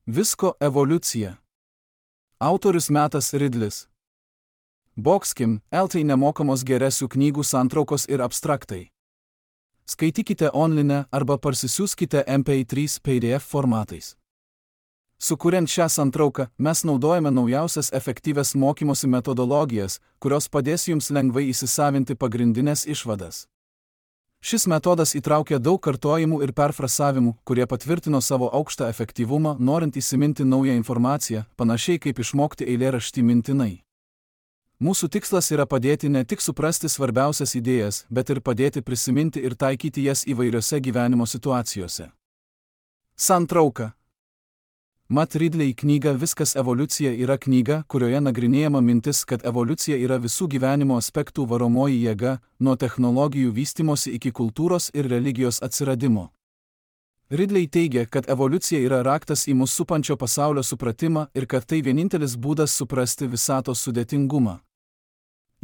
Visko evoliucija. Autorius Metas Ridlis. Boxkim, LT nemokamos geresių knygų santraukos ir abstraktai. Skaitykite online arba parsisiųskite MP3 PDF formatais. Sukuriant šią santrauką, mes naudojame naujausias efektyvias mokymosi metodologijas, kurios padės jums lengvai įsisavinti pagrindinės išvadas. Šis metodas įtraukia daug kartojimų ir perfrasavimų, kurie patvirtino savo aukštą efektyvumą, norint įsiminti naują informaciją, panašiai kaip išmokti eilėraštį mintinai. Mūsų tikslas yra padėti ne tik suprasti svarbiausias idėjas, bet ir padėti prisiminti ir taikyti jas įvairiose gyvenimo situacijose. Santrauka. Matt Ridley knyga Viskas evoliucija yra knyga, kurioje nagrinėjama mintis, kad evoliucija yra visų gyvenimo aspektų varomoji jėga, nuo technologijų vystymosi iki kultūros ir religijos atsiradimo. Ridley teigia, kad evoliucija yra raktas į mus supančio pasaulio supratimą ir kad tai vienintelis būdas suprasti visatos sudėtingumą.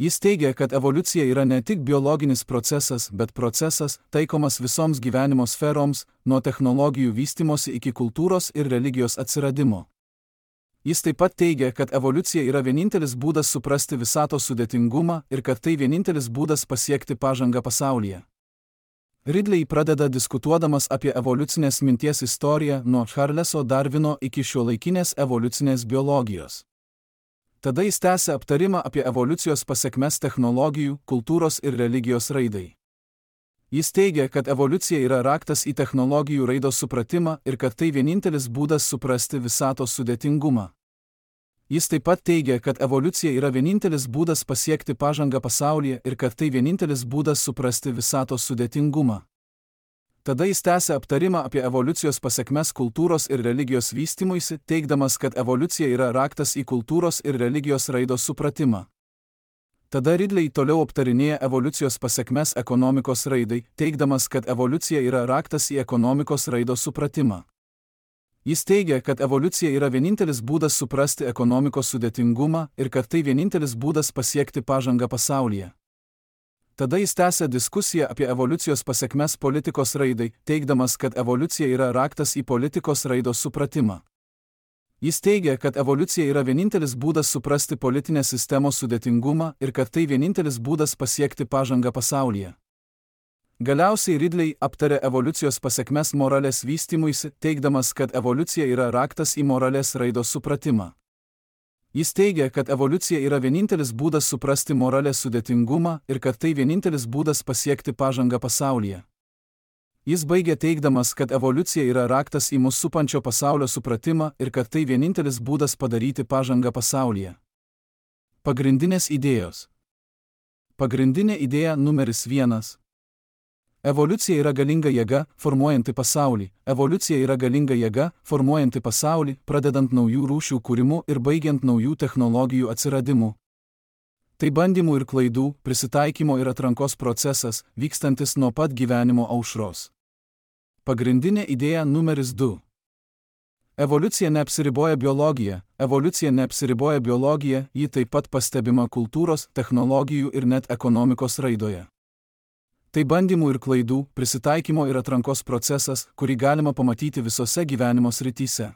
Jis teigia, kad evoliucija yra ne tik biologinis procesas, bet procesas, taikomas visoms gyvenimo sferoms, nuo technologijų vystymosi iki kultūros ir religijos atsiradimo. Jis taip pat teigia, kad evoliucija yra vienintelis būdas suprasti visatos sudėtingumą ir kad tai vienintelis būdas pasiekti pažangą pasaulyje. Ridley pradeda diskutuodamas apie evoliucinės minties istoriją nuo Charleso Darvino iki šiuolaikinės evoliucinės biologijos. Tada jis tęsia aptarimą apie evoliucijos pasekmes technologijų, kultūros ir religijos raidai. Jis teigia, kad evoliucija yra raktas į technologijų raidos supratimą ir kad tai vienintelis būdas suprasti visatos sudėtingumą. Jis taip pat teigia, kad evoliucija yra vienintelis būdas pasiekti pažangą pasaulyje ir kad tai vienintelis būdas suprasti visatos sudėtingumą. Tada jis tęsia aptarimą apie evoliucijos pasekmes kultūros ir religijos vystymuisi, teigdamas, kad evoliucija yra raktas į kultūros ir religijos raidos supratimą. Tada Ridley toliau aptarinėja evoliucijos pasekmes ekonomikos raidai, teigdamas, kad evoliucija yra raktas į ekonomikos raidos supratimą. Jis teigia, kad evoliucija yra vienintelis būdas suprasti ekonomikos sudėtingumą ir kad tai vienintelis būdas pasiekti pažangą pasaulyje. Tada jis tęsia diskusiją apie evoliucijos pasekmes politikos raidai, teigdamas, kad evoliucija yra raktas į politikos raidos supratimą. Jis teigia, kad evoliucija yra vienintelis būdas suprasti politinės sistemos sudėtingumą ir kad tai vienintelis būdas pasiekti pažangą pasaulyje. Galiausiai Ridley aptarė evoliucijos pasekmes moralės vystymuisi, teigdamas, kad evoliucija yra raktas į moralės raidos supratimą. Jis teigia, kad evoliucija yra vienintelis būdas suprasti moralės sudėtingumą ir kad tai vienintelis būdas pasiekti pažangą pasaulyje. Jis baigia teigdamas, kad evoliucija yra raktas į mus supančio pasaulio supratimą ir kad tai vienintelis būdas padaryti pažangą pasaulyje. Pagrindinės idėjos. Pagrindinė idėja numeris 1. Evoliucija yra galinga jėga, formuojanti pasaulį. Evoliucija yra galinga jėga, formuojanti pasaulį, pradedant naujų rūšių kūrimu ir baigiant naujų technologijų atsiradimu. Tai bandymų ir klaidų, prisitaikymo ir atrankos procesas, vykstantis nuo pat gyvenimo aušros. Pagrindinė idėja numeris 2. Evoliucija neapsiriboja biologija. Evoliucija neapsiriboja biologija, ji taip pat pastebima kultūros, technologijų ir net ekonomikos raidoje. Tai bandymų ir klaidų, prisitaikymo ir atrankos procesas, kurį galima pamatyti visose gyvenimo srityse.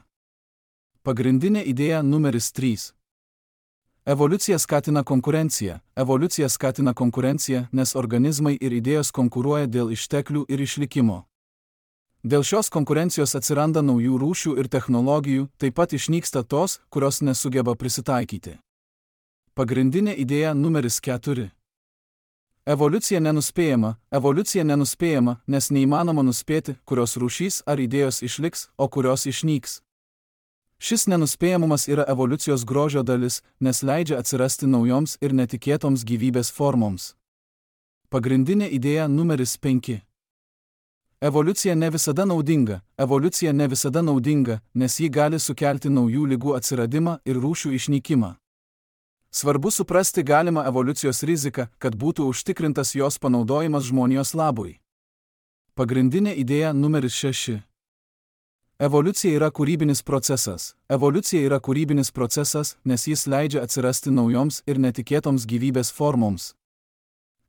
Pagrindinė idėja numeris 3. Evoliucija skatina konkurenciją. Evoliucija skatina konkurenciją, nes organizmai ir idėjos konkuruoja dėl išteklių ir išlikimo. Dėl šios konkurencijos atsiranda naujų rūšių ir technologijų, taip pat išnyksta tos, kurios nesugeba prisitaikyti. Pagrindinė idėja numeris 4. Evoliucija nenuspėjama, nes neįmanoma nuspėti, kurios rūšys ar idėjos išliks, o kurios išnyks. Šis nenuspėjamumas yra evoliucijos grožio dalis, nes leidžia atsirasti naujoms ir netikėtoms gyvybės formoms. Pagrindinė idėja numeris 5. Evoliucija ne visada naudinga, nes ji gali sukelti naujų ligų atsiradimą ir rūšių išnykimą. Svarbu suprasti galimą evoliucijos riziką, kad būtų užtikrintas jos panaudojimas žmonijos labui. Pagrindinė idėja numeris 6. Evoliucija yra kūrybinis procesas, nes jis leidžia atsirasti naujoms ir netikėtoms gyvybės formoms.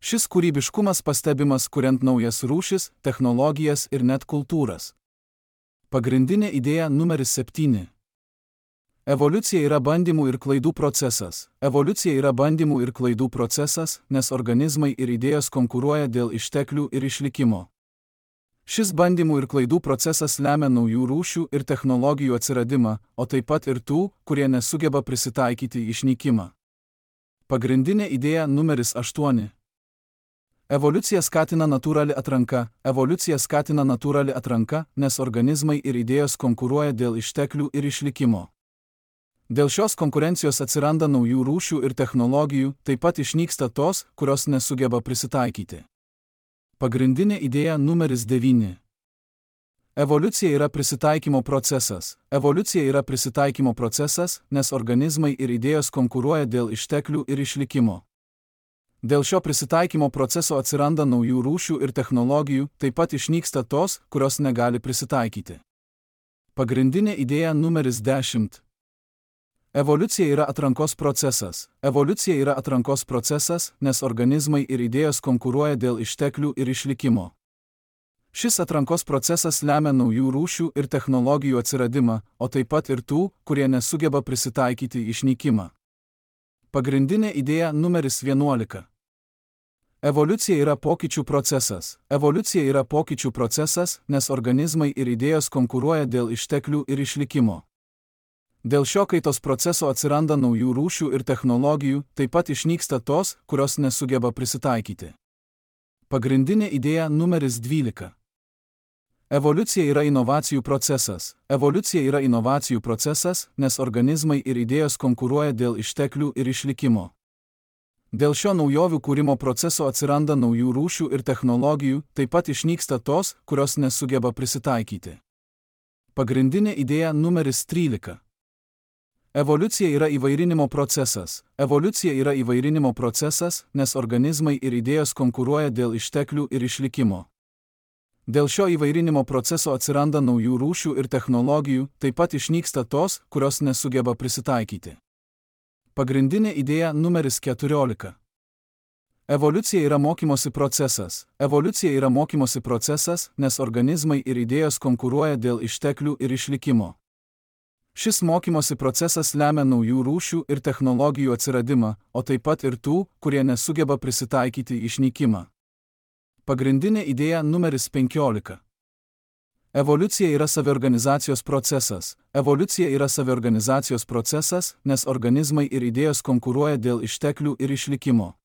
Šis kūrybiškumas pastebimas kuriant naujas rūšis, technologijas ir net kultūras. Pagrindinė idėja numeris 7. Evoliucija yra bandymų ir klaidų procesas. Evoliucija yra bandymų ir klaidų procesas, nes organizmai ir idėjos konkuruoja dėl išteklių ir išlikimo. Šis bandymų ir klaidų procesas lemia naujų rūšių ir technologijų atsiradimą, o taip pat ir tų, kurie nesugeba prisitaikyti išnykimą. Pagrindinė idėja numeris 8. Evoliucija skatina natūrali atranka. Evoliucija skatina natūrali atranka, nes organizmai ir idėjos konkuruoja dėl išteklių ir išlikimo. Dėl šios konkurencijos atsiranda naujų rūšių ir technologijų, taip pat išnyksta tos, kurios nesugeba prisitaikyti. Pagrindinė idėja numeris 9. Evoliucija yra prisitaikymo procesas. Evoliucija yra prisitaikymo procesas, nes organizmai ir idėjos konkuruoja dėl išteklių ir išlikimo. Dėl šio prisitaikymo proceso atsiranda naujų rūšių ir technologijų, taip pat išnyksta tos, kurios negali prisitaikyti. Pagrindinė idėja numeris 10. Evoliucija yra atrankos procesas. Evoliucija yra atrankos procesas, nes organizmai ir idėjos konkuruoja dėl išteklių ir išlikimo. Šis atrankos procesas lemia naujų rūšių ir technologijų atsiradimą, o taip pat ir tų, kurie nesugeba prisitaikyti išnykimą. Pagrindinė idėja numeris 11. Evoliucija yra pokyčių procesas. Evoliucija yra pokyčių procesas, nes organizmai ir idėjos konkuruoja dėl išteklių ir išlikimo. Dėl šio kaitos proceso atsiranda naujų rūšių ir technologijų, taip pat išnyksta tos, kurios nesugeba prisitaikyti. Pagrindinė idėja numeris 12. Evoliucija yra inovacijų procesas. Evoliucija yra inovacijų procesas, nes organizmai ir idėjos konkuruoja dėl išteklių ir išlikimo. Dėl šio naujovių kūrimo proceso atsiranda naujų rūšių ir technologijų, taip pat išnyksta tos, kurios nesugeba prisitaikyti. Pagrindinė idėja numeris 13. Evoliucija yra įvairinimo procesas. Evoliucija yra įvairinimo procesas, nes organizmai ir idėjos konkuruoja dėl išteklių ir išlikimo. Dėl šio įvairinimo proceso atsiranda naujų rūšių ir technologijų, taip pat išnyksta tos, kurios nesugeba prisitaikyti. Pagrindinė idėja numeris 14. Evoliucija yra mokymosi procesas. Evoliucija yra mokymosi procesas, nes organizmai ir idėjos konkuruoja dėl išteklių ir išlikimo. Šis mokymosi procesas lemia naujų rūšių ir technologijų atsiradimą, o taip pat ir tų, kurie nesugeba prisitaikyti išnykimą. Pagrindinė idėja numeris 15. Evoliucija yra saviorganizacijos procesas. Evoliucija yra saviorganizacijos procesas, nes organizmai ir idėjos konkuruoja dėl išteklių ir išlikimo.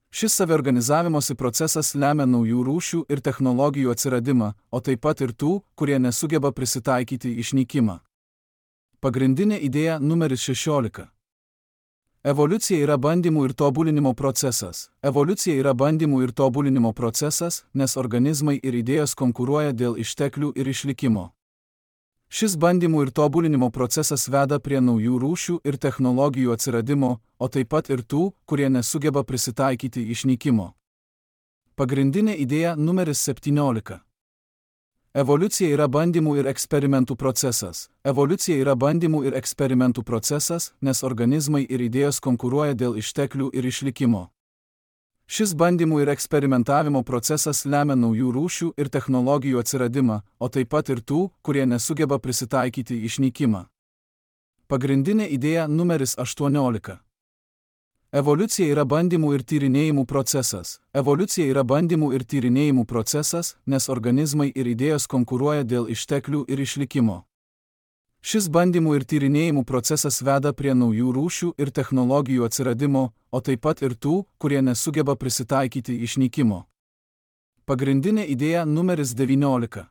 Šis saviorganizavimosi procesas lemia naujų rūšių ir technologijų atsiradimą, o taip pat ir tų, kurie nesugeba prisitaikyti išnykimą. Pagrindinė idėja numeris 16. Evoliucija yra bandymų ir tobulinimo procesas. Evoliucija yra bandymų ir tobulinimo procesas, nes organizmai ir idėjos konkuruoja dėl išteklių ir išlikimo. Šis bandymų ir tobulinimo procesas veda prie naujų rūšių ir technologijų atsiradimo, o taip pat ir tų, kurie nesugeba prisitaikyti išnykimo. Pagrindinė idėja numeris 17. Evoliucija yra bandymų ir eksperimentų procesas. Evoliucija yra bandymų ir eksperimentų procesas, nes organizmai ir idėjos konkuruoja dėl išteklių ir išlikimo. Šis bandymų ir eksperimentavimo procesas lemia naujų rūšių ir technologijų atsiradimą, o taip pat ir tų, kurie nesugeba prisitaikyti išnykimą. Pagrindinė idėja numeris 18. Evoliucija yra bandymų ir tyrinėjimų procesas. Evoliucija yra bandymų ir tyrinėjimų procesas, nes organizmai ir idėjos konkuruoja dėl išteklių ir išlikimo. Šis bandymų ir tyrinėjimų procesas veda prie naujų rūšių ir technologijų atsiradimo, o taip pat ir tų, kurie nesugeba prisitaikyti išnykimo. Pagrindinė idėja numeris 19.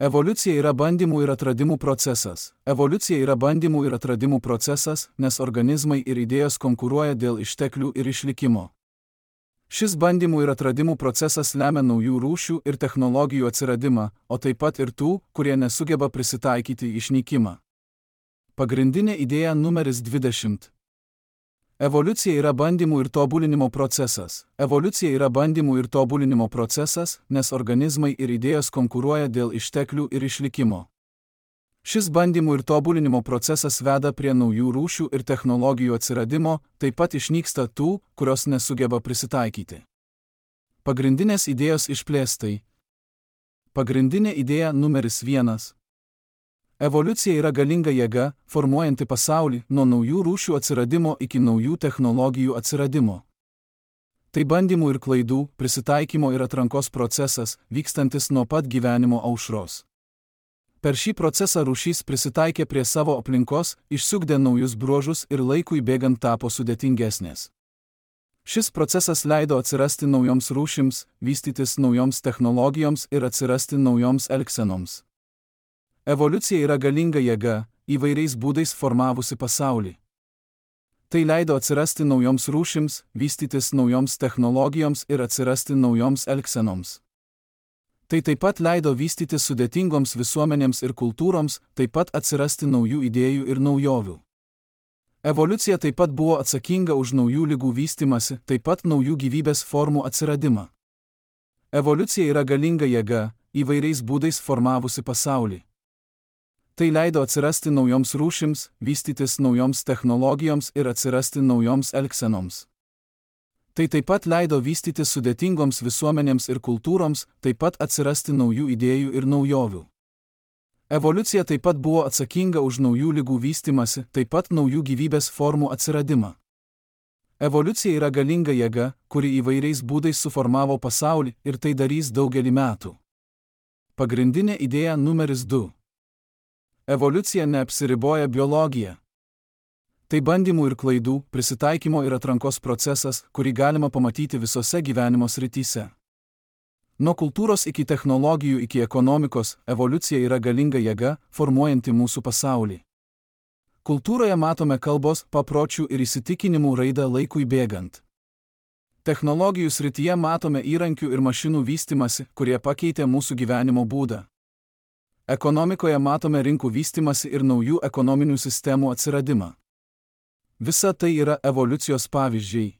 Evoliucija yra bandymų ir atradimų procesas. Evoliucija yra bandymų ir atradimų procesas, nes organizmai ir idėjos konkuruoja dėl išteklių ir išlikimo. Šis bandymų ir atradimų procesas lemia naujų rūšių ir technologijų atsiradimą, o taip pat ir tų, kurie nesugeba prisitaikyti išnykimą. Pagrindinė idėja numeris 20. Evoliucija yra bandymų ir tobulinimo procesas. Evoliucija yra bandymų ir tobulinimo procesas, nes organizmai ir idėjos konkuruoja dėl išteklių ir išlikimo. Šis bandymų ir tobulinimo procesas veda prie naujų rūšių ir technologijų atsiradimo, taip pat išnyksta tų, kurios nesugeba prisitaikyti. Pagrindinės idėjos išplėstai. Pagrindinė idėja numeris 1. Evoliucija yra galinga jėga, formuojanti pasaulį nuo naujų rūšių atsiradimo iki naujų technologijų atsiradimo. Tai bandymų ir klaidų, prisitaikymo ir atrankos procesas, vykstantis nuo pat gyvenimo aušros. Per šį procesą rūšys prisitaikė prie savo aplinkos, išsiugdė naujus bruožus ir laikui bėgant tapo sudėtingesnės. Šis procesas leido atsirasti naujoms rūšims, vystytis naujoms technologijoms ir atsirasti naujoms elgsenoms. Evoliucija yra galinga jėga, įvairiais būdais formavusi pasaulį. Tai leido atsirasti naujoms rūšims, vystytis naujoms technologijoms ir atsirasti naujoms elgsenoms. Tai taip pat leido vystytis sudėtingoms visuomenėms ir kultūroms, taip pat atsirasti naujų idėjų ir naujovių. Evoliucija taip pat buvo atsakinga už naujų ligų vystymąsi, taip pat naujų gyvybės formų atsiradimą. Evoliucija yra galinga jėga, įvairiais būdais formavusi pasaulį. Tai leido atsirasti naujoms rūšims, vystytis naujoms technologijoms ir atsirasti naujoms elgsenoms. Tai taip pat leido vystytis sudėtingoms visuomenėms ir kultūroms, taip pat atsirasti naujų idėjų ir naujovių. Evoliucija taip pat buvo atsakinga už naujų ligų vystymąsi, taip pat naujų gyvybės formų atsiradimą. Evoliucija yra galinga jėga, kuri įvairiais būdais suformavo pasaulį ir tai darys daugelį metų. Pagrindinė idėja numeris 2. Evoliucija neapsiriboja biologija. Tai bandymų ir klaidų, prisitaikymo ir atrankos procesas, kurį galima pamatyti visose gyvenimo srityse. Nuo kultūros iki technologijų iki ekonomikos, evoliucija yra galinga jėga, formuojanti mūsų pasaulį. Kultūroje matome kalbos, papročių ir įsitikinimų raidą laikui bėgant. Technologijų srityje matome įrankių ir mašinų vystymąsi, kurie pakeitė mūsų gyvenimo būdą. Ekonomikoje matome rinkų vystymąsi ir naujų ekonominių sistemų atsiradimą. Visa tai yra evoliucijos pavyzdžiai.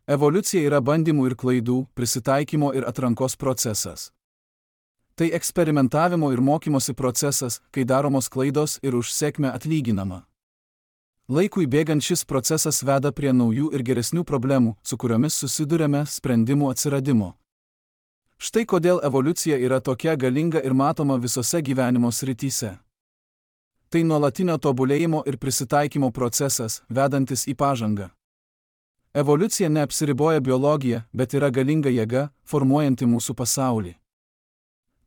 Evoliucija yra bandymų ir klaidų, prisitaikymo ir atrankos procesas. Tai eksperimentavimo ir mokymosi procesas, kai daromos klaidos ir už sėkmę atlyginama. Laikui bėgant šis procesas veda prie naujų ir geresnių problemų, su kuriomis susiduriame sprendimų atsiradimo. Štai kodėl evoliucija yra tokia galinga ir matoma visose gyvenimo srityse. Tai nuolatinio tobulėjimo ir prisitaikymo procesas, vedantis į pažangą. Evoliucija neapsiriboja biologija, bet yra galinga jėga, formuojanti mūsų pasaulį.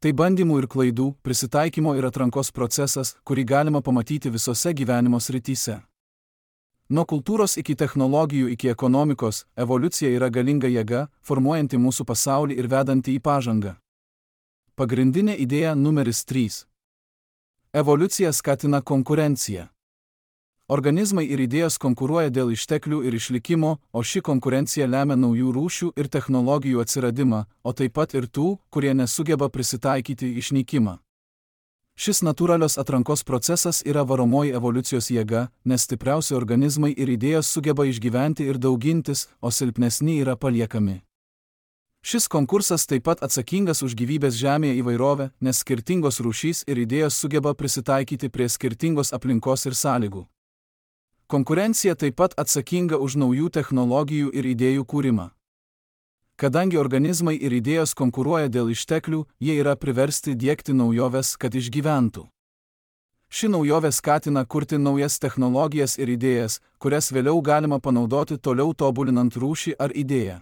Tai bandymų ir klaidų, prisitaikymo ir atrankos procesas, kurį galima pamatyti visose gyvenimo srityse. Nuo kultūros iki technologijų iki ekonomikos, evoliucija yra galinga jėga, formuojanti mūsų pasaulį ir vedanti į pažangą. Pagrindinė idėja numeris 3. Evoliucija skatina konkurenciją. Organizmai ir idėjos konkuruoja dėl išteklių ir išlikimo, o ši konkurencija lemia naujų rūšių ir technologijų atsiradimą, o taip pat ir tų, kurie nesugeba prisitaikyti išnykimą. Šis natūralios atrankos procesas yra varomoji evoliucijos jėga, nes stipriausi organizmai ir idėjos sugeba išgyventi ir daugintis, o silpnesni yra paliekami. Šis konkursas taip pat atsakingas už gyvybės žemėje įvairovę, nes skirtingos rūšys ir idėjos sugeba prisitaikyti prie skirtingos aplinkos ir sąlygų. Konkurencija taip pat atsakinga už naujų technologijų ir idėjų kūrimą. Kadangi organizmai ir idėjos konkuruoja dėl išteklių, jie yra priversti diegti naujoves, kad išgyventų. Ši naujovė skatina kurti naujas technologijas ir idėjas, kurias vėliau galima panaudoti toliau tobulinant rūšį ar idėją.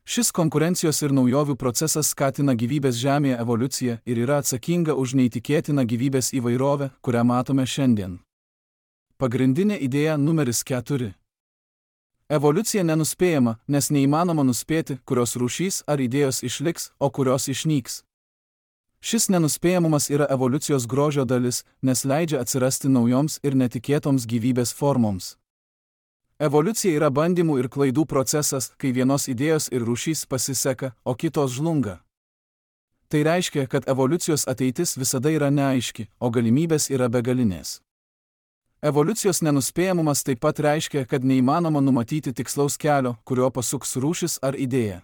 Šis konkurencijos ir naujovių procesas skatina gyvybės žemėje evoliuciją ir yra atsakinga už neįtikėtiną gyvybės įvairovę, kurią matome šiandien. Pagrindinė idėja numeris 4. Evoliucija nenuspėjama, nes neįmanoma nuspėti, kurios rūšys ar idėjos išliks, o kurios išnyks. Šis nenuspėjamumas yra evoliucijos grožio dalis, nes leidžia atsirasti naujoms ir netikėtoms gyvybės formoms. Evoliucija yra bandymų ir klaidų procesas, kai vienos idėjos ir rūšys pasiseka, o kitos žlunga. Tai reiškia, kad evoliucijos ateitis visada yra neaiški, o galimybės yra begalinės. Evoliucijos nenuspėjamumas taip pat reiškia, kad neįmanoma numatyti tikslaus kelio, kurio pasuks rūšis ar idėja.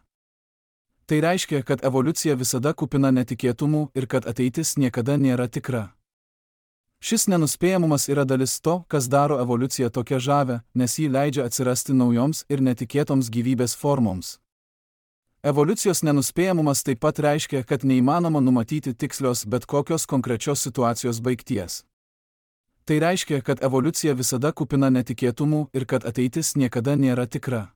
Tai reiškia, kad evoliucija visada kupina netikėtumų ir kad ateitis niekada nėra tikra. Šis nenuspėjamumas yra dalis to, kas daro evoliuciją tokia žavę, nes jį leidžia atsirasti naujoms ir netikėtoms gyvybės formoms. Evoliucijos nenuspėjamumas taip pat reiškia, kad neįmanoma numatyti tikslios bet kokios konkrečios situacijos baigties. Tai reiškia, kad evoliucija visada kupina netikėtumų ir kad ateitis niekada nėra tikra.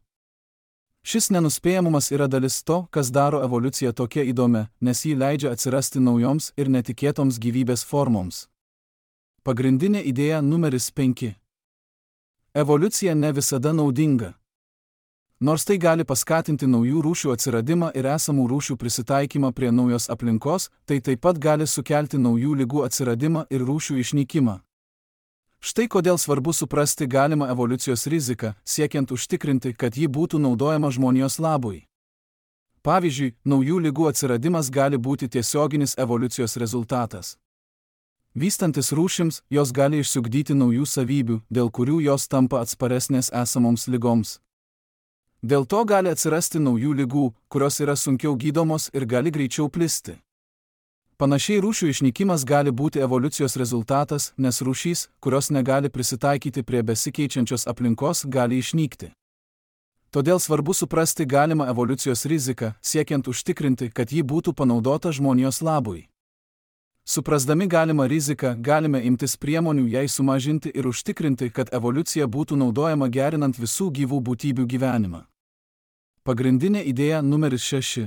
Šis nenuspėjamumas yra dalis to, kas daro evoliuciją tokia įdomia, nes ji leidžia atsirasti naujoms ir netikėtoms gyvybės formoms. Pagrindinė idėja numeris 5. Evoliucija ne visada naudinga. Nors tai gali paskatinti naujų rūšių atsiradimą ir esamų rūšių prisitaikymą prie naujos aplinkos, tai taip pat gali sukelti naujų ligų atsiradimą ir rūšių išnykimą. Štai kodėl svarbu suprasti galimą evoliucijos riziką, siekiant užtikrinti, kad ji būtų naudojama žmonijos labui. Pavyzdžiui, naujų ligų atsiradimas gali būti tiesioginis evoliucijos rezultatas. Vystantis rūšims, jos gali išsiugdyti naujų savybių, dėl kurių jos tampa atsparesnės esamoms ligoms. Dėl to gali atsirasti naujų ligų, kurios yra sunkiau gydomos ir gali greičiau plisti. Panašiai rūšių išnykimas gali būti evoliucijos rezultatas, nes rūšys, kurios negali prisitaikyti prie besikeičiančios aplinkos, gali išnykti. Todėl svarbu suprasti galimą evoliucijos riziką, siekiant užtikrinti, kad ji būtų panaudota žmonijos labui. Suprasdami galimą riziką, galime imtis priemonių jai sumažinti ir užtikrinti, kad evoliucija būtų naudojama gerinant visų gyvų būtybių gyvenimą. Pagrindinė idėja numeris 6.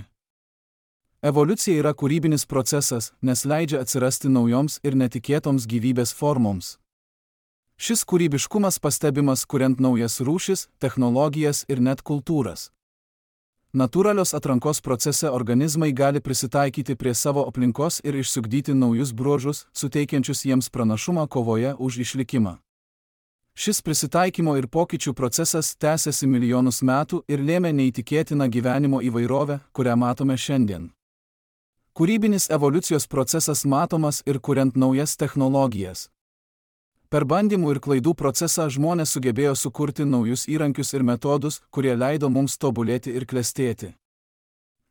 Evoliucija yra kūrybinis procesas, nes leidžia atsirasti naujoms ir netikėtoms gyvybės formoms. Šis kūrybiškumas pastebimas kuriant naujas rūšis, technologijas ir net kultūras. Natūralios atrankos procese organizmai gali prisitaikyti prie savo aplinkos ir išsiugdyti naujus bruožus, suteikiančius jiems pranašumą kovoje už išlikimą. Šis prisitaikymo ir pokyčių procesas tęsiasi milijonus metų ir lėmė neįtikėtiną gyvenimo įvairovę, kurią matome šiandien. Kūrybinis evoliucijos procesas matomas ir kuriant naujas technologijas. Per bandymų ir klaidų procesą žmonės sugebėjo sukurti naujus įrankius ir metodus, kurie leido mums tobulėti ir klestėti.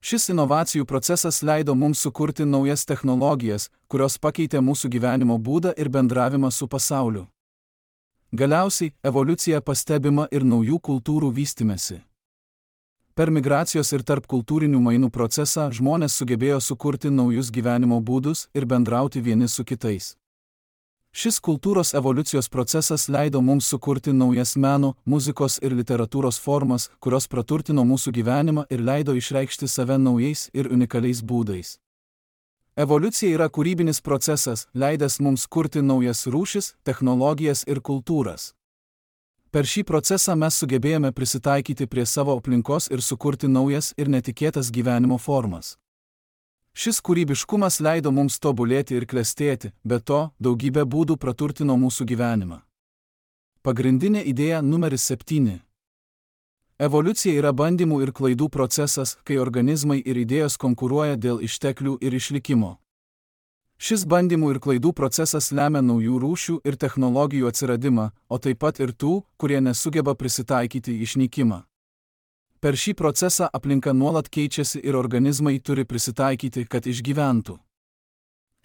Šis inovacijų procesas leido mums sukurti naujas technologijas, kurios pakeitė mūsų gyvenimo būdą ir bendravimą su pasauliu. Galiausiai, evoliucija pastebima ir naujų kultūrų vystymesi. Per migracijos ir tarpkultūrinių mainų procesą žmonės sugebėjo sukurti naujus gyvenimo būdus ir bendrauti vieni su kitais. Šis kultūros evoliucijos procesas leido mums sukurti naujas meno, muzikos ir literatūros formas, kurios praturtino mūsų gyvenimą ir leido išreikšti save naujais ir unikaliais būdais. Evoliucija yra kūrybinis procesas, leidęs mums kurti naujas rūšis, technologijas ir kultūras. Per šį procesą mes sugebėjome prisitaikyti prie savo aplinkos ir sukurti naujas ir netikėtas gyvenimo formas. Šis kūrybiškumas leido mums tobulėti ir klestėti, be to, daugybė būdų praturtino mūsų gyvenimą. Pagrindinė idėja numeris 7. Evoliucija yra bandymų ir klaidų procesas, kai organizmai ir idėjos konkuruoja dėl išteklių ir išlikimo. Šis bandymų ir klaidų procesas lemia naujų rūšių ir technologijų atsiradimą, o taip pat ir tų, kurie nesugeba prisitaikyti į išnykimą. Per šį procesą aplinka nuolat keičiasi ir organizmai turi prisitaikyti, kad išgyventų.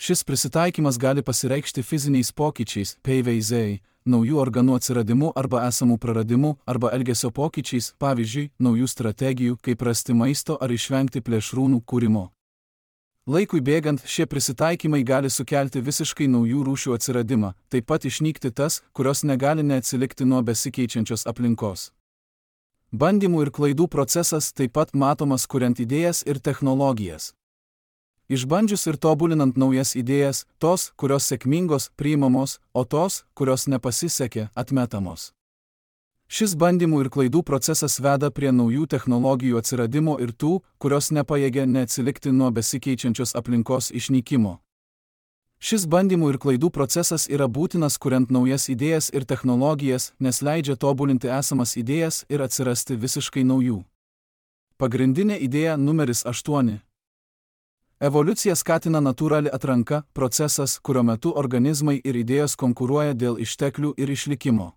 Šis prisitaikymas gali pasireikšti fiziniais pokyčiais, PVZ, naujų organų atsiradimu arba esamų praradimu, arba elgesio pokyčiais, pavyzdžiui, naujų strategijų, kaip rasti maisto ar išvengti plėšrūnų kūrimo. Laikui bėgant, šie prisitaikymai gali sukelti visiškai naujų rūšių atsiradimą, taip pat išnykti tas, kurios negali neatsilikti nuo besikeičiančios aplinkos. Bandymų ir klaidų procesas taip pat matomas kuriant idėjas ir technologijas. Išbandžius ir tobulinant naujas idėjas, tos, kurios sėkmingos, priimamos, o tos, kurios nepasisekė, atmetamos. Šis bandymų ir klaidų procesas veda prie naujų technologijų atsiradimo ir tų, kurios nepajėgia neatsilikti nuo besikeičiančios aplinkos išnykimo. Šis bandymų ir klaidų procesas yra būtinas kuriant naujas idėjas ir technologijas, nes leidžia tobulinti esamas idėjas ir atsirasti visiškai naujų. Pagrindinė idėja numeris 8. Evoliucija skatina natūrali atranka, procesas, kurio metu organizmai ir idėjos konkuruoja dėl išteklių ir išlikimo.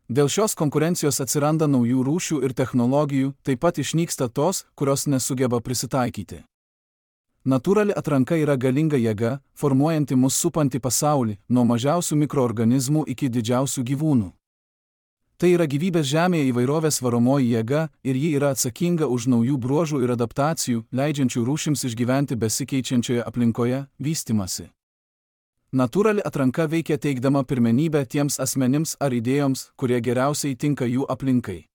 Dėl šios konkurencijos atsiranda naujų rūšių ir technologijų, taip pat išnyksta tos, kurios nesugeba prisitaikyti. Natūrali atranka yra galinga jėga, formuojanti mus supantį pasaulį, nuo mažiausių mikroorganizmų iki didžiausių gyvūnų. Tai yra gyvybės žemėje įvairovės varomoji jėga ir ji yra atsakinga už naujų bruožų ir adaptacijų, leidžiančių rūšims išgyventi besikeičiančioje aplinkoje, vystymasi. Natūrali atranka veikia teikdama pirmenybę tiems asmenims ar idėjoms, kurie geriausiai tinka jų aplinkai.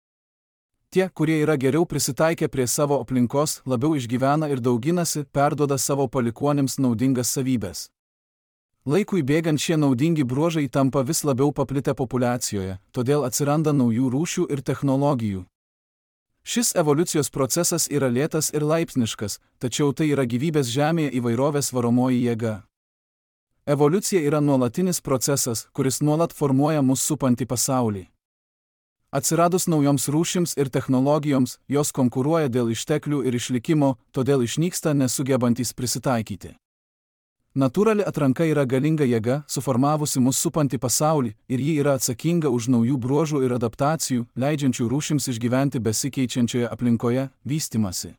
Tie, kurie yra geriau prisitaikę prie savo aplinkos, labiau išgyvena ir dauginasi, perduoda savo palikuonims naudingas savybes. Laikui bėgant šie naudingi bruožai tampa vis labiau paplitę populiacijoje, todėl atsiranda naujų rūšių ir technologijų. Šis evoliucijos procesas yra lėtas ir laipsniškas, tačiau tai yra gyvybės žemėje įvairovės varomoji jėga. Evoliucija yra nuolatinis procesas, kuris nuolat formuoja mus supantį pasaulį. Atsiradus naujoms rūšims ir technologijoms, jos konkuruoja dėl išteklių ir išlikimo, todėl išnyksta nesugebantys prisitaikyti. Natūrali atranka yra galinga jėga, suformavusi mus supantį pasaulį, ir ji yra atsakinga už naujų bruožų ir adaptacijų, leidžiančių rūšims išgyventi besikeičiančioje aplinkoje, vystymasi.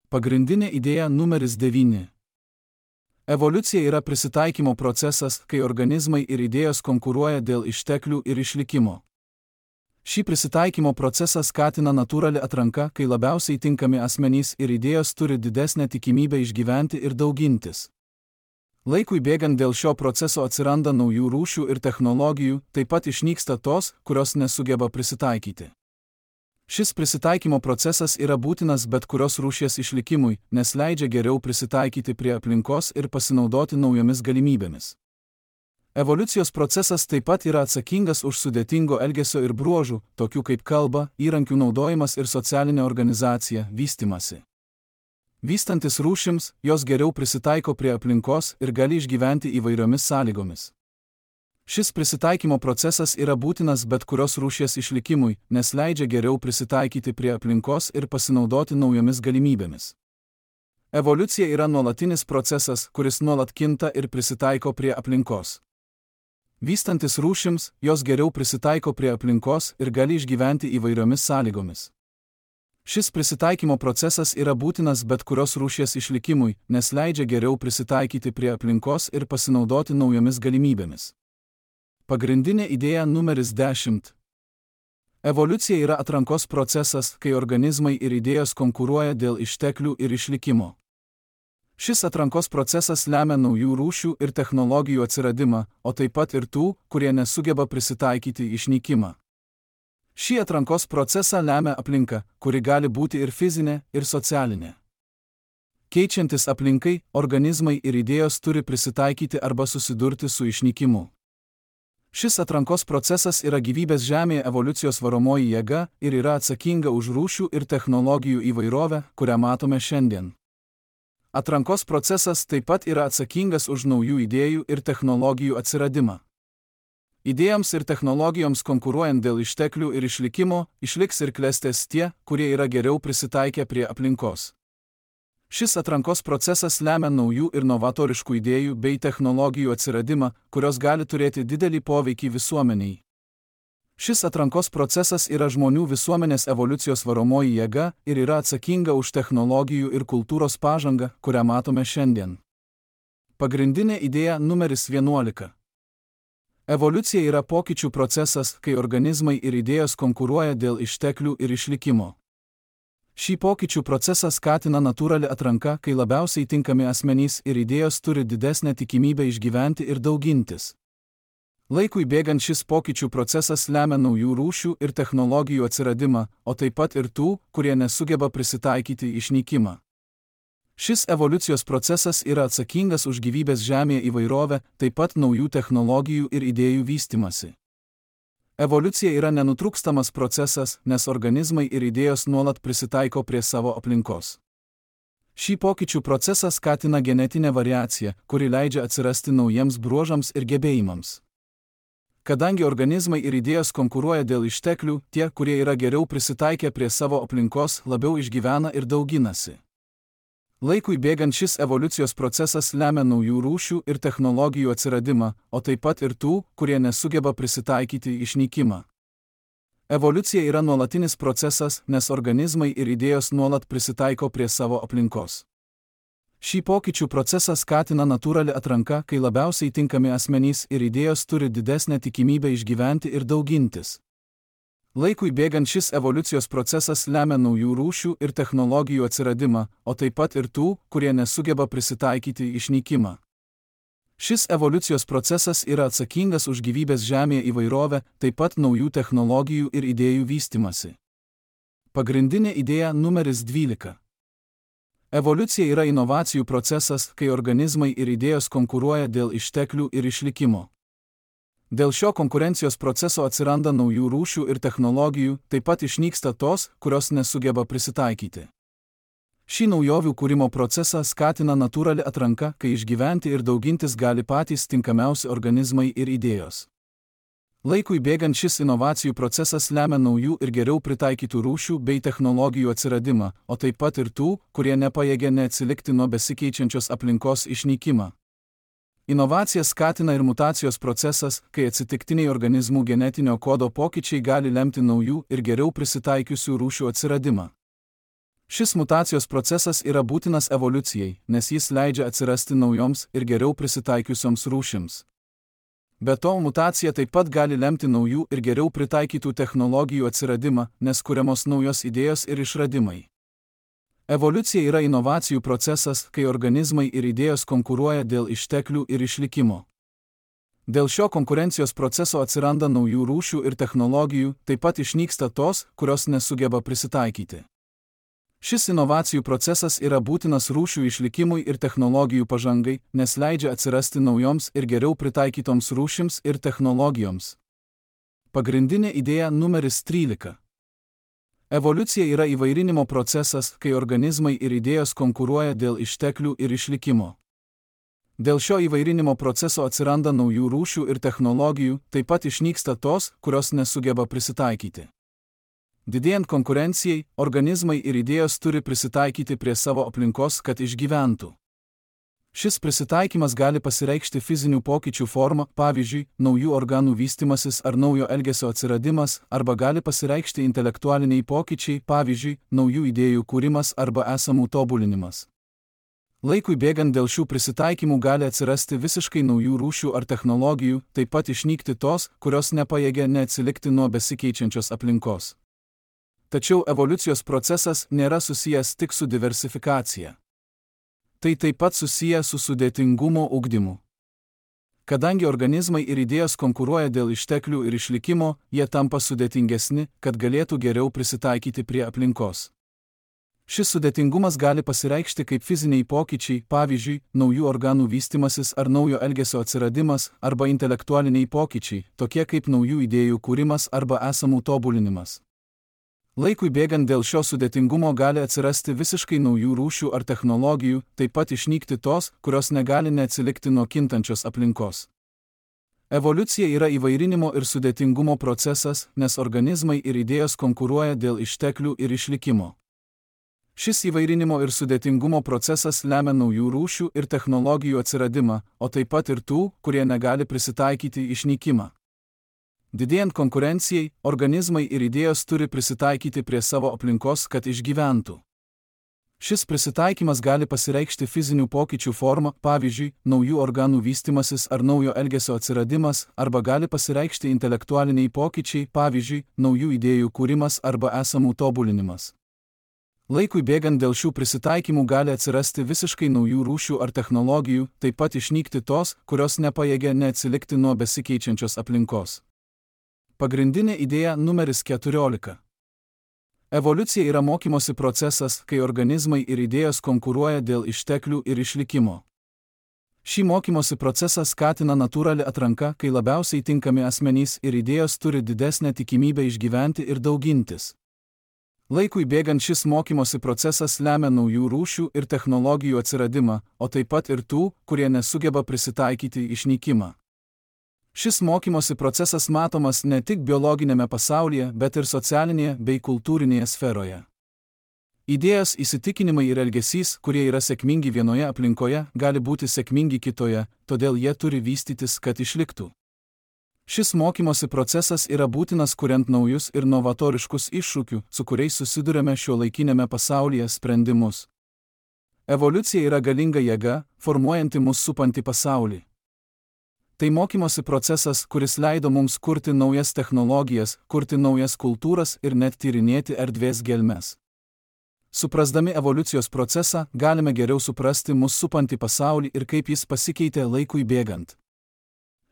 Pagrindinė idėja numeris 9. Evoliucija yra prisitaikymo procesas, kai organizmai ir idėjos konkuruoja dėl išteklių ir išlikimo. Šį prisitaikymo procesą skatina natūrali atranka, kai labiausiai tinkami asmenys ir idėjos turi didesnę tikimybę išgyventi ir daugintis. Laikui bėgant dėl šio proceso atsiranda naujų rūšių ir technologijų, taip pat išnyksta tos, kurios nesugeba prisitaikyti. Šis prisitaikymo procesas yra būtinas bet kurios rūšies išlikimui, nes leidžia geriau prisitaikyti prie aplinkos ir pasinaudoti naujomis galimybėmis. Evoliucijos procesas taip pat yra atsakingas už sudėtingo elgesio ir bruožų, tokių kaip kalba, įrankių naudojimas ir socialinė organizacija, vystymasi. Vystantis rūšims, jos geriau prisitaiko prie aplinkos ir gali išgyventi įvairiomis sąlygomis. Šis prisitaikymo procesas yra būtinas bet kurios rūšies išlikimui, nes leidžia geriau prisitaikyti prie aplinkos ir pasinaudoti naujomis galimybėmis. Evoliucija yra nuolatinis procesas, kuris nuolat kinta ir prisitaiko prie aplinkos. Vystantis rūšims, jos geriau prisitaiko prie aplinkos ir gali išgyventi įvairiomis sąlygomis. Šis prisitaikymo procesas yra būtinas bet kurios rūšies išlikimui, nes leidžia geriau prisitaikyti prie aplinkos ir pasinaudoti naujomis galimybėmis. Pagrindinė idėja numeris 10. Evoliucija yra atrankos procesas, kai organizmai ir idėjos konkuruoja dėl išteklių ir išlikimo. Šis atrankos procesas lemia naujų rūšių ir technologijų atsiradimą, o taip pat ir tų, kurie nesugeba prisitaikyti išnykimą. Šį atrankos procesą lemia aplinka, kuri gali būti ir fizinė, ir socialinė. Keičiantis aplinkai, organizmai ir idėjos turi prisitaikyti arba susidurti su išnykimu. Šis atrankos procesas yra gyvybės žemėje evoliucijos varomoji jėga ir yra atsakinga už rūšių ir technologijų įvairovę, kurią matome šiandien. Atrankos procesas taip pat yra atsakingas už naujų idėjų ir technologijų atsiradimą. Idėjams ir technologijoms konkuruojant dėl išteklių ir išlikimo, išliks ir klestės tie, kurie yra geriau prisitaikę prie aplinkos. Šis atrankos procesas lemia naujų ir novatoriškų idėjų bei technologijų atsiradimą, kurios gali turėti didelį poveikį visuomeniai. Šis atrankos procesas yra žmonių visuomenės evoliucijos varomoji jėga ir yra atsakinga už technologijų ir kultūros pažangą, kurią matome šiandien. Pagrindinė idėja numeris 11. Evoliucija yra pokyčių procesas, kai organizmai ir idėjos konkuruoja dėl išteklių ir išlikimo. Šį pokyčių procesą skatina natūrali atranka, kai labiausiai tinkami asmenys ir idėjos turi didesnę tikimybę išgyventi ir daugintis. Laikui bėgant šis pokyčių procesas lemia naujų rūšių ir technologijų atsiradimą, o taip pat ir tų, kurie nesugeba prisitaikyti išnykimą. Šis evoliucijos procesas yra atsakingas už gyvybės žemėje įvairovę, taip pat naujų technologijų ir idėjų vystymasi. Evoliucija yra nenutrūkstamas procesas, nes organizmai ir idėjos nuolat prisitaiko prie savo aplinkos. Šį pokyčių procesą skatina genetinė variacija, kuri leidžia atsirasti naujiems bruožams ir gebėjimams. Kadangi organizmai ir idėjos konkuruoja dėl išteklių, tie, kurie yra geriau prisitaikę prie savo aplinkos, labiau išgyvena ir dauginasi. Laikui bėgant šis evoliucijos procesas lemia naujų rūšių ir technologijų atsiradimą, o taip pat ir tų, kurie nesugeba prisitaikyti išnykimą. Evoliucija yra nuolatinis procesas, nes organizmai ir idėjos nuolat prisitaiko prie savo aplinkos. Šį pokyčių procesą skatina natūrali atranka, kai labiausiai tinkami asmenys ir idėjos turi didesnę tikimybę išgyventi ir daugintis. Laikui bėgant šis evoliucijos procesas lemia naujų rūšių ir technologijų atsiradimą, o taip pat ir tų, kurie nesugeba prisitaikyti išnykimą. Šis evoliucijos procesas yra atsakingas už gyvybės Žemėje įvairovę, taip pat naujų technologijų ir idėjų vystymasi. Pagrindinė idėja numeris 12. Evoliucija yra inovacijų procesas, kai organizmai ir idėjos konkuruoja dėl išteklių ir išlikimo. Dėl šio konkurencijos proceso atsiranda naujų rūšių ir technologijų, taip pat išnyksta tos, kurios nesugeba prisitaikyti. Šį naujovių kūrimo procesą skatina natūrali atranka, kai išgyventi ir daugintis gali patys tinkamiausi organizmai ir idėjos. Laikui bėgant šis inovacijų procesas lemia naujų ir geriau pritaikytų rūšių bei technologijų atsiradimą, o taip pat ir tų, kurie nepajėgia neatsilikti nuo besikeičiančios aplinkos išnykimą. Inovacija skatina ir mutacijos procesas, kai atsitiktiniai organizmų genetinio kodo pokyčiai gali lemti naujų ir geriau prisitaikiusių rūšių atsiradimą. Šis mutacijos procesas yra būtinas evoliucijai, nes jis leidžia atsirasti naujoms ir geriau prisitaikiusioms rūšims. Be to, mutacija taip pat gali lemti naujų ir geriau pritaikytų technologijų atsiradimą, nes kuriamos naujos idėjos ir išradimai. Evoliucija yra inovacijų procesas, kai organizmai ir idėjos konkuruoja dėl išteklių ir išlikimo. Dėl šio konkurencijos proceso atsiranda naujų rūšių ir technologijų, taip pat išnyksta tos, kurios nesugeba prisitaikyti. Šis inovacijų procesas yra būtinas rūšių išlikimui ir technologijų pažangai, nes leidžia atsirasti naujoms ir geriau pritaikytoms rūšims ir technologijoms. Pagrindinė idėja numeris 13. Evoliucija yra įvairinimo procesas, kai organizmai ir idėjos konkuruoja dėl išteklių ir išlikimo. Dėl šio įvairinimo proceso atsiranda naujų rūšių ir technologijų, taip pat išnyksta tos, kurios nesugeba prisitaikyti. Didėjant konkurencijai, organizmai ir idėjos turi prisitaikyti prie savo aplinkos, kad išgyventų. Šis prisitaikymas gali pasireikšti fizinių pokyčių forma, pavyzdžiui, naujų organų vystymasis ar naujo elgesio atsiradimas, arba gali pasireikšti intelektualiniai pokyčiai, pavyzdžiui, naujų idėjų kūrimas arba esamų tobulinimas. Laikui bėgant dėl šių prisitaikymų gali atsirasti visiškai naujų rūšių ar technologijų, taip pat išnykti tos, kurios nepajėgia neatsilikti nuo besikeičiančios aplinkos. Tačiau evoliucijos procesas nėra susijęs tik su diversifikacija. Tai taip pat susiję su sudėtingumo ugdymu. Kadangi organizmai ir idėjos konkuruoja dėl išteklių ir išlikimo, jie tampa sudėtingesni, kad galėtų geriau prisitaikyti prie aplinkos. Šis sudėtingumas gali pasireikšti kaip fiziniai pokyčiai, pavyzdžiui, naujų organų vystymasis ar naujo elgesio atsiradimas, arba intelektualiniai pokyčiai, tokie kaip naujų idėjų kūrimas arba esamų tobulinimas. Laikui bėgant dėl šio sudėtingumo gali atsirasti visiškai naujų rūšių ar technologijų, taip pat išnykti tos, kurios negali neatsilikti nuo kintančios aplinkos. Evoliucija yra įvairinimo ir sudėtingumo procesas, nes organizmai ir idėjos konkuruoja dėl išteklių ir išlikimo. Šis įvairinimo ir sudėtingumo procesas lemia naujų rūšių ir technologijų atsiradimą, o taip pat ir tų, kurie negali prisitaikyti išnykimą. Didėjant konkurencijai, organizmai ir idėjos turi prisitaikyti prie savo aplinkos, kad išgyventų. Šis prisitaikymas gali pasireikšti fizinių pokyčių forma, pavyzdžiui, naujų organų vystymasis ar naujo elgesio atsiradimas, arba gali pasireikšti intelektualiniai pokyčiai, pavyzdžiui, naujų idėjų kūrimas arba esamų tobulinimas. Laikui bėgant dėl šių prisitaikymų gali atsirasti visiškai naujų rūšių ar technologijų, taip pat išnykti tos, kurios nepajėgia neatsilikti nuo besikeičiančios aplinkos. Pagrindinė idėja numeris 14. Evoliucija yra mokymosi procesas, kai organizmai ir idėjos konkuruoja dėl išteklių ir išlikimo. Šį mokymosi procesą skatina natūrali atranka, kai labiausiai tinkami asmenys ir idėjos turi didesnę tikimybę išgyventi ir daugintis. Laikui bėgant šis mokymosi procesas lemia naujų rūšių ir technologijų atsiradimą, o taip pat ir tų, kurie nesugeba prisitaikyti išnykimą. Šis mokymosi procesas matomas ne tik biologinėme pasaulyje, bet ir socialinėje bei kultūrinėje sferoje. Idėjos, įsitikinimai ir elgesys, kurie yra sėkmingi vienoje aplinkoje, gali būti sėkmingi kitoje, todėl jie turi vystytis, kad išliktų. Šis mokymosi procesas yra būtinas kuriant naujus ir novatoriškus iššūkius, su kuriais susiduriame šiuolaikinėme pasaulyje sprendimus. Evoliucija yra galinga jėga, formuojanti mus supantį pasaulį. Tai mokymosi procesas, kuris leido mums kurti naujas technologijas, kurti naujas kultūras ir net tyrinėti erdvės gelmes. Suprasdami evoliucijos procesą, galime geriau suprasti mus supantį pasaulį ir kaip jis pasikeitė laikui bėgant.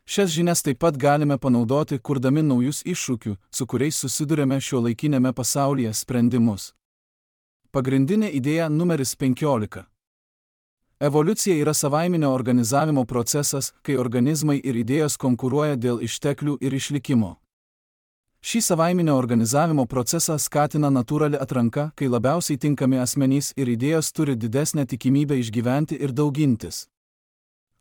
Šias žinias taip pat galime panaudoti, kurdami naujus iššūkių, su kuriais susidurėme šiuolaikinėme pasaulyje sprendimus. Pagrindinė idėja numeris 15. Evoliucija yra savaiminio organizavimo procesas, kai organizmai ir idėjos konkuruoja dėl išteklių ir išlikimo. Šį savaiminio organizavimo procesą skatina natūrali atranka, kai labiausiai tinkami asmenys ir idėjos turi didesnę tikimybę išgyventi ir daugintis.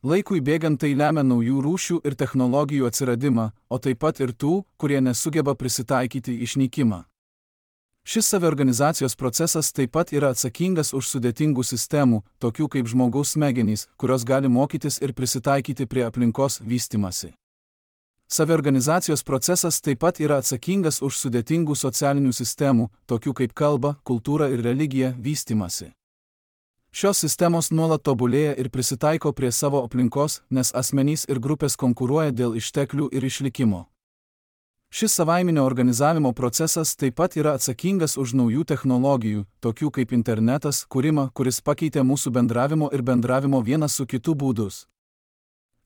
Laikui bėgant tai lemia naujų rūšių ir technologijų atsiradimą, o taip pat ir tų, kurie nesugeba prisitaikyti išnykimą. Šis saviorganizacijos procesas taip pat yra atsakingas už sudėtingų sistemų, tokių kaip žmogaus smegenys, kurios gali mokytis ir prisitaikyti prie aplinkos vystymasi. Saviorganizacijos procesas taip pat yra atsakingas už sudėtingų socialinių sistemų, tokių kaip kalba, kultūra ir religija vystymasi. Šios sistemos nuolat tobulėja ir prisitaiko prie savo aplinkos, nes asmenys ir grupės konkuruoja dėl išteklių ir išlikimo. Šis savaiminio organizavimo procesas taip pat yra atsakingas už naujų technologijų, tokių kaip internetas, kūrimą, kuris pakeitė mūsų bendravimo ir bendravimo vienas su kitu būdus.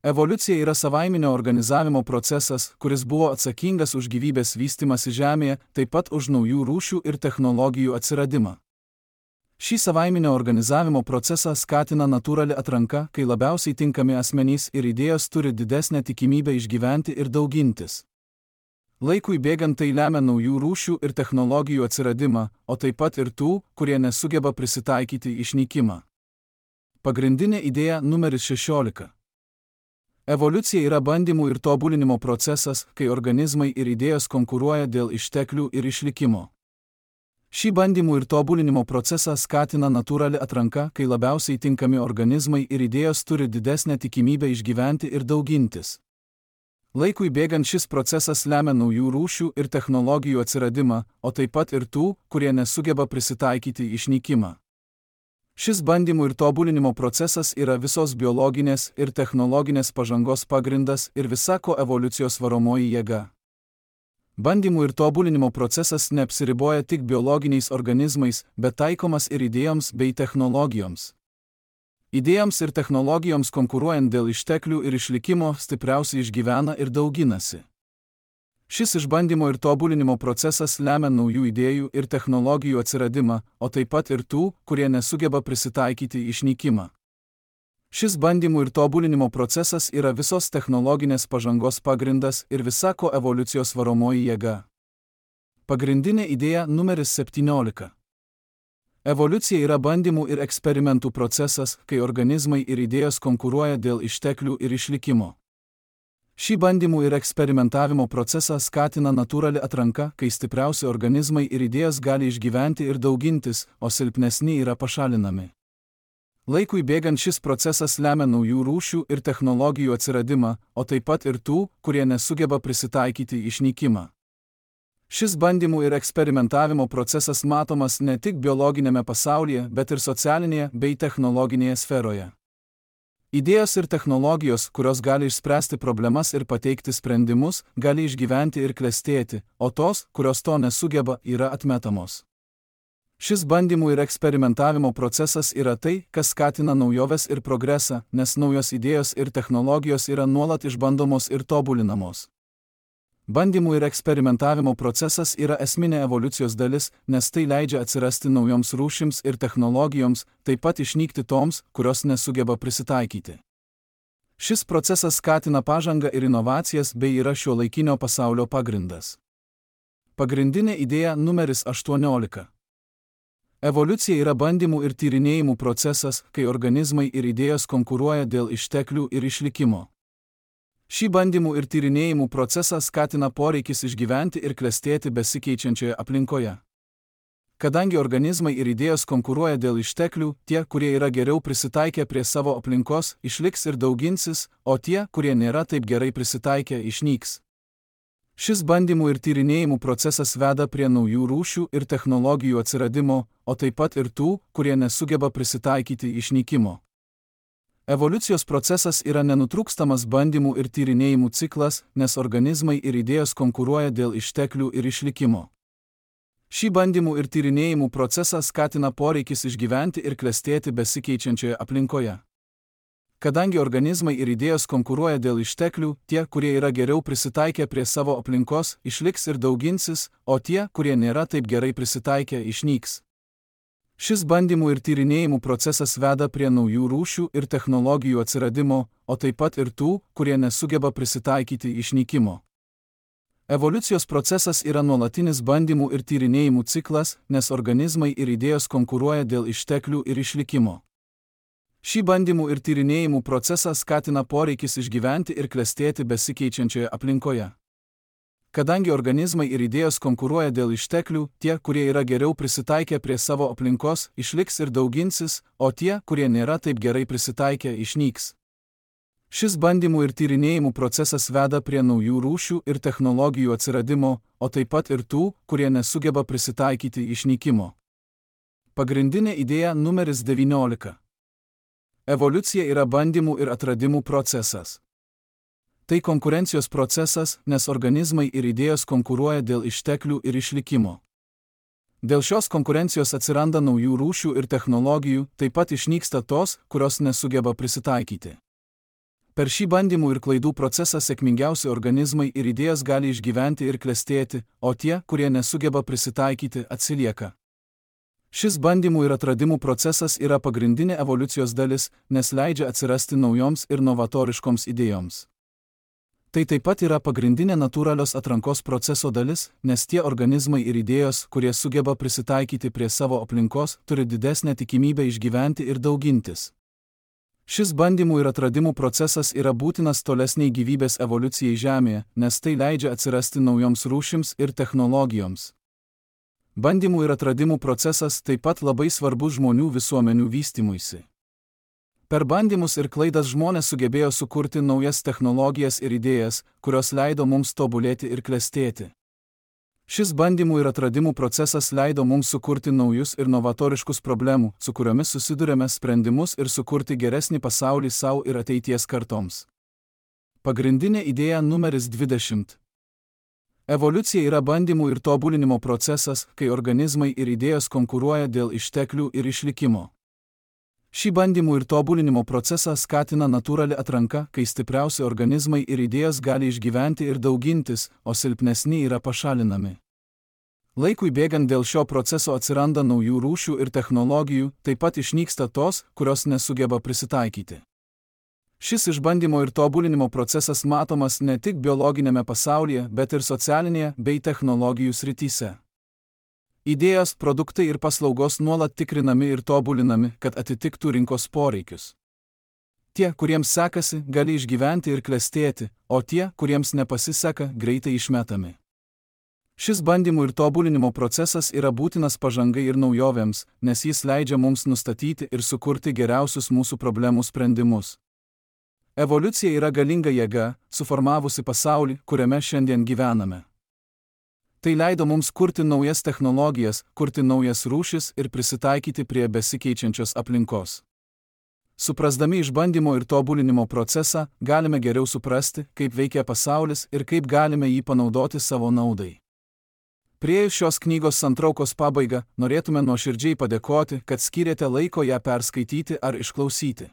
Evoliucija yra savaiminio organizavimo procesas, kuris buvo atsakingas už gyvybės vystymąsi Žemėje, taip pat už naujų rūšių ir technologijų atsiradimą. Šį savaiminio organizavimo procesą skatina natūrali atranka, kai labiausiai tinkami asmenys ir idėjos turi didesnę tikimybę išgyventi ir daugintis. Laikui bėgant tai lemia naujų rūšių ir technologijų atsiradimą, o taip pat ir tų, kurie nesugeba prisitaikyti išnykimą. Pagrindinė idėja numeris 16. Evoliucija yra bandymų ir tobulinimo procesas, kai organizmai ir idėjos konkuruoja dėl išteklių ir išlikimo. Šį bandymų ir tobulinimo procesą skatina natūrali atranka, kai labiausiai tinkami organizmai ir idėjos turi didesnę tikimybę išgyventi ir daugintis. Laikui bėgant šis procesas lemia naujų rūšių ir technologijų atsiradimą, o taip pat ir tų, kurie nesugeba prisitaikyti išnykimą. Šis bandymų ir tobulinimo procesas yra visos biologinės ir technologinės pažangos pagrindas ir visako evoliucijos varomoji jėga. Bandymų ir tobulinimo procesas neapsiriboja tik biologiniais organizmais, bet taikomas ir idėjoms bei technologijoms. Idėjoms ir technologijoms konkuruojant dėl išteklių ir išlikimo stipriausiai išgyvena ir dauginasi. Šis išbandymo ir tobulinimo procesas lemia naujų idėjų ir technologijų atsiradimą, o taip pat ir tų, kurie nesugeba prisitaikyti išnykimą. Šis bandymų ir tobulinimo procesas yra visos technologinės pažangos pagrindas ir visako evoliucijos varomoji jėga. Pagrindinė idėja numeris 17. Evoliucija yra bandymų ir eksperimentų procesas, kai organizmai ir idėjos konkuruoja dėl išteklių ir išlikimo. Šį bandymų ir eksperimentavimo procesą skatina natūrali atranka, kai stipriausi organizmai ir idėjos gali išgyventi ir daugintis, o silpnesni yra pašalinami. Laikui bėgant šis procesas lemia naujų rūšių ir technologijų atsiradimą, o taip pat ir tų, kurie nesugeba prisitaikyti išnykimą. Šis bandymų ir eksperimentavimo procesas matomas ne tik biologinėme pasaulyje, bet ir socialinėje bei technologinėje sferoje. Idėjos ir technologijos, kurios gali išspręsti problemas ir pateikti sprendimus, gali išgyventi ir klestėti, o tos, kurios to nesugeba, yra atmetamos. Šis bandymų ir eksperimentavimo procesas yra tai, kas skatina naujoves ir progresą, nes naujos idėjos ir technologijos yra nuolat išbandomos ir tobulinamos. Bandymų ir eksperimentavimo procesas yra esminė evoliucijos dalis, nes tai leidžia atsirasti naujoms rūšims ir technologijoms, taip pat išnykti toms, kurios nesugeba prisitaikyti. Šis procesas skatina pažangą ir inovacijas bei yra šiuolaikinio pasaulio pagrindas. Pagrindinė idėja numeris 18. Evoliucija yra bandymų ir tyrinėjimų procesas, kai organizmai ir idėjos konkuruoja dėl išteklių ir išlikimo. Šį bandymų ir tyrinėjimų procesą skatina poreikis išgyventi ir klestėti besikeičiančioje aplinkoje. Kadangi organizmai ir idėjos konkuruoja dėl išteklių, tie, kurie yra geriau prisitaikę prie savo aplinkos, išliks ir dauginsis, o tie, kurie nėra taip gerai prisitaikę, išnyks. Šis bandymų ir tyrinėjimų procesas veda prie naujų rūšių ir technologijų atsiradimo, o taip pat ir tų, kurie nesugeba prisitaikyti išnykimo. Evoliucijos procesas yra nenutrūkstamas bandymų ir tyrinėjimų ciklas, nes organizmai ir idėjos konkuruoja dėl išteklių ir išlikimo. Šį bandymų ir tyrinėjimų procesą skatina poreikis išgyventi ir klestėti besikeičiančioje aplinkoje. Kadangi organizmai ir idėjos konkuruoja dėl išteklių, tie, kurie yra geriau prisitaikę prie savo aplinkos, išliks ir dauginsis, o tie, kurie nėra taip gerai prisitaikę, išnyks. Šis bandymų ir tyrinėjimų procesas veda prie naujų rūšių ir technologijų atsiradimo, o taip pat ir tų, kurie nesugeba prisitaikyti išnykimo. Evoliucijos procesas yra nuolatinis bandymų ir tyrinėjimų ciklas, nes organizmai ir idėjos konkuruoja dėl išteklių ir išlikimo. Šį bandymų ir tyrinėjimų procesą skatina poreikis išgyventi ir klestėti besikeičiančioje aplinkoje. Kadangi organizmai ir idėjos konkuruoja dėl išteklių, tie, kurie yra geriau prisitaikę prie savo aplinkos, išliks ir dauginsis, o tie, kurie nėra taip gerai prisitaikę, išnyks. Šis bandymų ir tyrinėjimų procesas veda prie naujų rūšių ir technologijų atsiradimo, o taip pat ir tų, kurie nesugeba prisitaikyti išnykimo. Pagrindinė idėja numeris 19. Evoliucija yra bandymų ir atradimų procesas. Tai konkurencijos procesas, nes organizmai ir idėjos konkuruoja dėl išteklių ir išlikimo. Dėl šios konkurencijos atsiranda naujų rūšių ir technologijų, taip pat išnyksta tos, kurios nesugeba prisitaikyti. Per šį bandymų ir klaidų procesą sėkmingiausi organizmai ir idėjos gali išgyventi ir klestėti, o tie, kurie nesugeba prisitaikyti, atsilieka. Šis bandymų ir atradimų procesas yra pagrindinė evoliucijos dalis, nes leidžia atsirasti naujoms ir novatoriškoms idėjoms. Tai taip pat yra pagrindinė natūralios atrankos proceso dalis, nes tie organizmai ir idėjos, kurie sugeba prisitaikyti prie savo aplinkos, turi didesnę tikimybę išgyventi ir daugintis. Šis bandymų ir atradimų procesas yra būtinas tolesniai gyvybės evoliucijai Žemėje, nes tai leidžia atsirasti naujoms rūšims ir technologijoms. Bandymų ir atradimų procesas taip pat labai svarbus žmonių visuomenių vystymuisi. Per bandymus ir klaidas žmonės sugebėjo sukurti naujas technologijas ir idėjas, kurios leido mums tobulėti ir klestėti. Šis bandymų ir atradimų procesas leido mums sukurti naujus ir novatoriškus problemų, su kuriomis susidurėme sprendimus ir sukurti geresnį pasaulį savo ir ateities kartoms. Pagrindinė idėja numeris 20. Evoliucija yra bandymų ir tobulinimo procesas, kai organizmai ir idėjos konkuruoja dėl išteklių ir išlikimo. Šį bandymų ir tobulinimo procesą skatina natūrali atranka, kai stipriausi organizmai ir idėjos gali išgyventi ir daugintis, o silpnesni yra pašalinami. Laikui bėgant dėl šio proceso atsiranda naujų rūšių ir technologijų, taip pat išnyksta tos, kurios nesugeba prisitaikyti. Šis išbandymo ir tobulinimo procesas matomas ne tik biologinėme pasaulyje, bet ir socialinėje bei technologijų srityse. Idėjos, produktai ir paslaugos nuolat tikrinami ir tobulinami, kad atitiktų rinkos poreikius. Tie, kuriems sekasi, gali išgyventi ir klestėti, o tie, kuriems nepasiseka, greitai išmetami. Šis bandymų ir tobulinimo procesas yra būtinas pažangai ir naujovėms, nes jis leidžia mums nustatyti ir sukurti geriausius mūsų problemų sprendimus. Evoliucija yra galinga jėga, suformavusi pasaulį, kuriame šiandien gyvename. Tai leido mums kurti naujas technologijas, kurti naujas rūšis ir prisitaikyti prie besikeičiančios aplinkos. Suprasdami išbandymo ir tobulinimo procesą, galime geriau suprasti, kaip veikia pasaulis ir kaip galime jį panaudoti savo naudai. Priėjus šios knygos santraukos pabaigą, norėtume nuoširdžiai padėkoti, kad skyrėte laiko ją perskaityti ar išklausyti.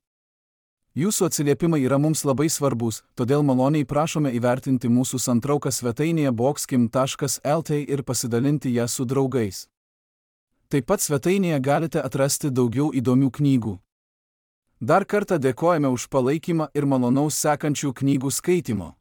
Jūsų atsiliepimai yra mums labai svarbus, todėl maloniai prašome įvertinti mūsų santrauką svetainėje boxkim.lt ir pasidalinti ją su draugais. Taip pat svetainėje galite atrasti daugiau įdomių knygų. Dar kartą dėkojame už palaikymą ir malonaus sekančių knygų skaitimo.